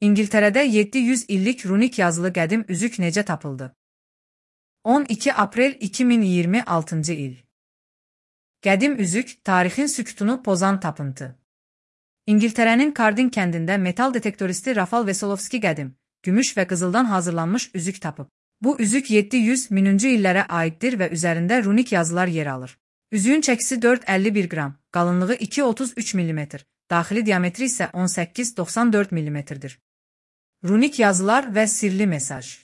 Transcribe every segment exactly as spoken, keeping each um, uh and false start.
İngiltərədə yeddi yüz illik runik yazılı qədim üzük necə tapıldı? on iki aprel iki min iyirmi altıncı il. Qədim üzük, tarixin sükutunu pozan tapıntı. İngiltərənin Kardin kəndində metal detektoristi Rafal Veselovski qədim, gümüş və qızıldan hazırlanmış üzük tapıb. Bu üzük yeddi yüz minci illərə aiddir və üzərində runik yazılar yer alır. Üzüyün çəkisi dörd əlli bir qram, qalınlığı iki otuz üç millimetr, daxili diametri isə on səkkiz doxsan dörd millimetrdir. Runik yazılar və sirli mesaj.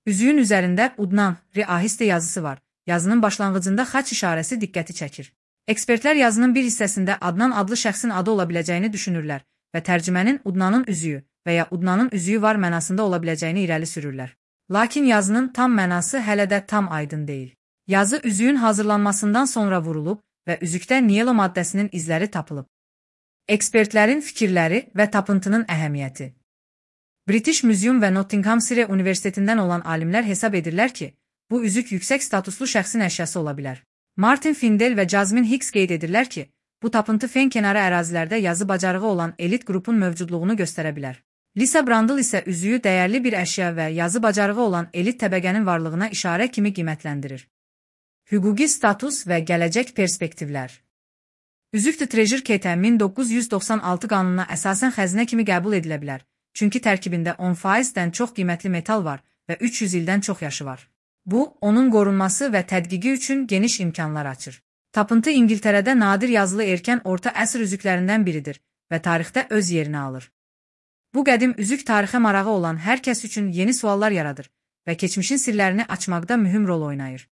Üzüyün üzərində Udnan, Ri-ahiste yazısı var. Yazının başlanğıcında xaç işarəsi diqqəti çəkir. Ekspertlər yazının bir hissəsində Adnan adlı şəxsin adı ola biləcəyini düşünürlər və tərcümənin Udnanın üzüyü və ya Udnanın üzüyü var mənasında ola biləcəyini irəli sürürlər. Lakin yazının tam mənası hələ də tam aydın deyil. Yazı üzüyün hazırlanmasından sonra vurulub və üzükdə niyelo maddəsinin izləri tapılıb. Ekspertlərin fikirləri və tapıntının əhəmiyyəti. British Museum və Nottinghamshire Universitetindən olan alimlər hesab edirlər ki, bu üzük yüksək statuslu şəxsin əşyası ola bilər. Martin Findel və Jasmine Hicks qeyd edirlər ki, bu tapıntı fen kənarı ərazilərdə yazı bacarığı olan elit qrupun mövcudluğunu göstərə bilər. Lisa Brandl isə üzüyü dəyərli bir əşya və yazı bacarığı olan elit təbəqənin varlığına işarə kimi qiymətləndirir. Hüquqi status və gələcək perspektivlər. Üzük The Treasure Case min doqquz yüz doxsan altı qanununa əsasən xəzinə kimi qəbul edilə bilər, çünki tərkibində on faizdən çox qiymətli metal var və üç yüz ildən çox yaşı var. Bu, onun qorunması və tədqiqi üçün geniş imkanlar açır. Tapıntı İngiltərədə nadir yazılı erkən orta əsr üzüklərindən biridir və tarixdə öz yerini alır. Bu qədim üzük tarixə marağı olan hər kəs üçün yeni suallar yaradır və keçmişin sirlərini açmaqda mühüm rol oynayır.